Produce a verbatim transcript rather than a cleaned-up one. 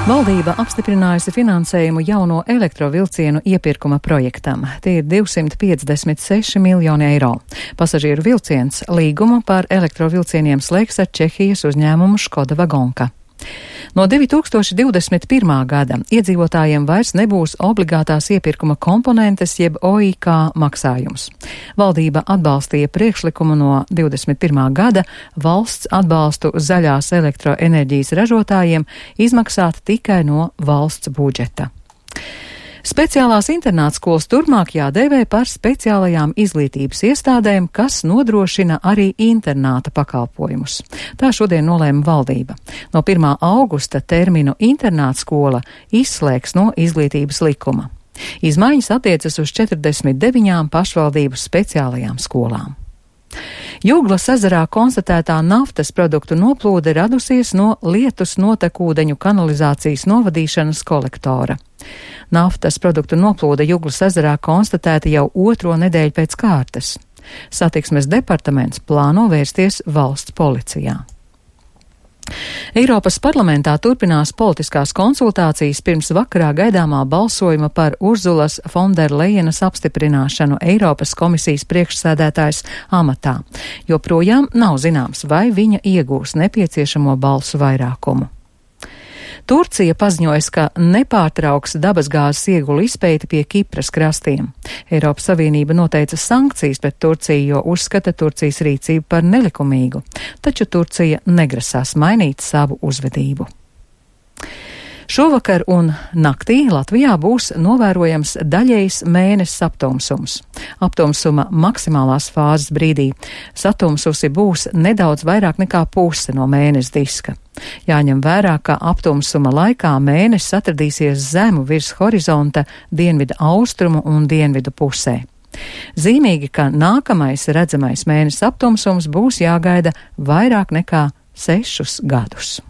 Valdība apstiprinājusi finansējumu jauno elektrovilcienu iepirkuma projektam. Tie ir divsimt piecdesmit seši miljoni eiro. Pasažieru vilciens līgumu par elektrovilcieniem slēgs ar Čehijas uzņēmumu Škoda Vagonka. No divi tūkstoši divdesmit pirmā gada iedzīvotājiem vairs nebūs obligātās iepirkuma komponentes jeb O I K maksājums. Valdība atbalstīja priekšlikumu no divdesmit pirmā gada valsts atbalstu zaļās elektroenerģijas ražotājiem izmaksāt tikai no valsts budžeta. Speciālās internātskolas turpmāk jādēvē par speciālajām izglītības iestādēm, kas nodrošina arī internāta pakalpojumus. Tā šodien nolēma valdība. No pirmā augusta terminu internātskola izslēgs no izglītības likuma. Izmaiņas attiecas uz četrdesmit deviņām pašvaldību speciālajām skolām. Jūglas ezerā konstatētā naftas produktu noplūde radusies no lietus notekūdeņu kanalizācijas novadīšanas kolektora. Naftas produktu noplūde Jūglas ezerā konstatēta jau otro nedēļu pēc kārtas. Satiksmes departaments plāno vērsties valsts policijā. Eiropas parlamentā turpinās politiskās konsultācijas pirms vakarā gaidāmā balsojuma par Urzulas Fonderlejenas apstiprināšanu Eiropas komisijas priekšsēdētājas amatā. Joprojām nav zināms, vai viņa iegūs nepieciešamo balsu vairākumu. Turcija paziņojas, ka nepārtrauks dabasgāzes iegulu izpēti pie Kipras krastiem. Eiropas Savienība noteica sankcijas pret Turciju, jo uzskata Turcijas rīcību par nelikumīgu, taču Turcija negrasās mainīt savu uzvedību. Šovakar un naktī Latvijā būs novērojams daļējs mēnesis aptumsums. Aptumsuma maksimālās fāzes brīdī satumsusi būs nedaudz vairāk nekā puse no mēnesa diska. Jāņem vērā, ka aptumsuma laikā mēnesis atradīsies zemu virs horizonta dienvidu austrumu un dienvidu pusē. Zīmīgi, ka nākamais redzamais mēnesis aptumsums būs jāgaida vairāk nekā sešus gadus.